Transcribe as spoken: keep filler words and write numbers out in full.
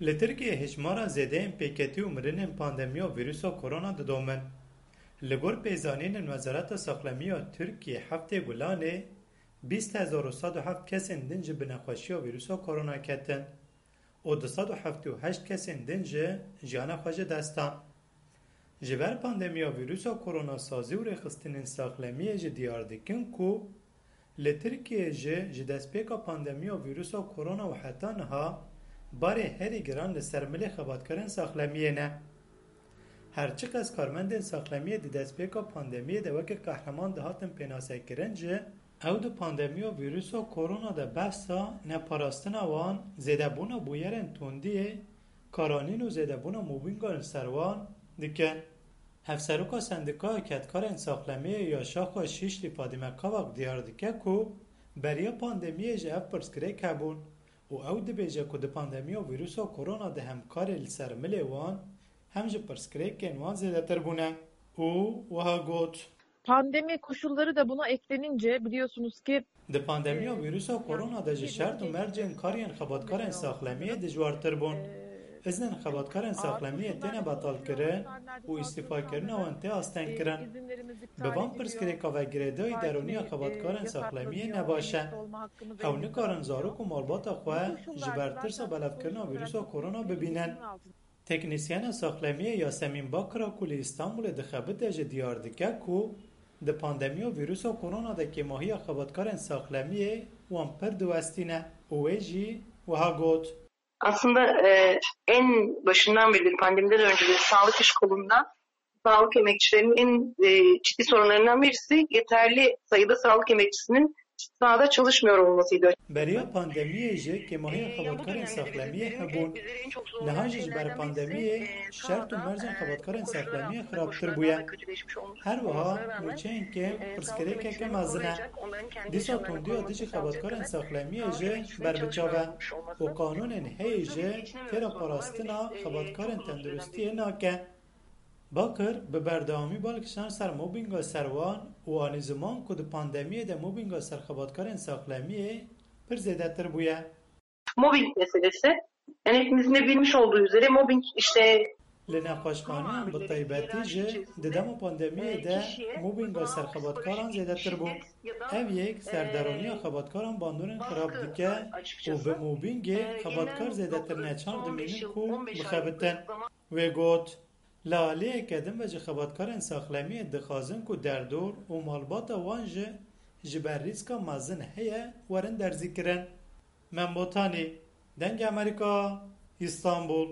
Li Tirkiyeyê hêjmara zêdeyên pêketî û mirinên pandemiya vîrusa korona didomin. Li gor pêzanînên Wezareta Saxlemiya Tirkiyê heftê Gulanê, bîst hezar û sed û heft kesên din ji bi nexweşiya vîrusa korona ketin û du sed û heftê û heşt kesên din ji jiyana xwe ji dest dan. Ji ber pandemiya vîrusa korona sazî û rêxistinên saxlemiyê jî diyar dikin ku li Tirkiyeyê jî ji destpêka pandemiya vîrusa korona û heta niha barê herî giran li ser milê xebatkarên saxlemiyê ne. Her çiqas karmendên saxlemiyê di destpêka pandemiyê de weke qehreman dihatin pênasekirin jî, ew di pandemiya vîrusa korona de behsa neparastina wan, zêdebûna bûyerên tundiyê, karanîn û zêdebûna mobînga li ser wan dikin. Hevseroka Sendîkaya Kedkarên Saxlemiyê ya Şaxa Şîşlî Fadîme Kavak diyar dike ku beriya pandemiyê jî ev pirsgirêk hebûn û ew dibêje ku di pandemiya vîrusa korona de hem karê li ser milê wan hem jî pirsgirêkên wan zêdetir bûne û wiha got. Pandemi koşulları da buna eklenince biliyorsunuz ki Di pandemiya vîrusa korona de jî şert û mercên kariyên xebatkarên saxlemiyê dijwartir bûn. Iznên xebatkarên saxlemiyê têne betalkirin û îstîfakirina wan tê astengkirin. Bi van pirsgirêka ve girêdayî derûniya xebatkarên saxlemiyê ne baş e. Ew nikarin zarok û malbata xwe ji ber tirsa belevkirina vîrusa korona bibînin. Teknîsyena saxlemiyê Yasemîn Bakira ku li Îstanbulê dixebite jî diyar dike ku di pandemiya vîrusa korona de kêmahiya xebatkarên saxlemiyê wan pir diwestîne û wê jî wiha got. Aslında e, en başından beri pandemiden önce de sağlık iş kolunda sağlık emekçilerinin en e, ciddi sorunlarından birisi yeterli sayıda sağlık emekçisinin sahada çalışmıyor olmasıydı. Beriya pandemiyê jî kêmahiya xebatkarên saxlemiyê hebûn. Niha jî ji ber pandemiyê şert û mercên xebatkarên saxlemiyê xirabtir bûye. Her wiha nûçeyên kêm pirsgirêkeke mezin e. Dîsa tundiya dijî xebatkarên saxlemiyê jî ber bi çav e û qanûnên heyî jî têra parastina xebatkarên tenduristiyê nake. Bakir bi berdewamî bal kişand ser mobbînga ser wan û anî ziman ku di pandemiyê de mobbînga ser xebatkarên saxlemiyê pir zêdetir bûye. Mobbing meselesi. Yani hepimizin de bilmiş olduğu üzere mobbing işte Li nexweşxaneyan bi taybetî jî di dema pandemiyê de mobbînga ser xebatkaran zêdetir bû. Ev yek serderoniya xebatkaran bandorên xirab dike û bi mobbîngê xebatkar zêdetir neçar dimînin ku bixebitin. Wê got, Li aliyeke din ve ji xebatkarên saxlemiyê dixwazin ku derdor û malbata wan jî ji ber rîska mezin heye werin derzîkirin. Mem Botanî, Dengê Amerîka, Îstanbul.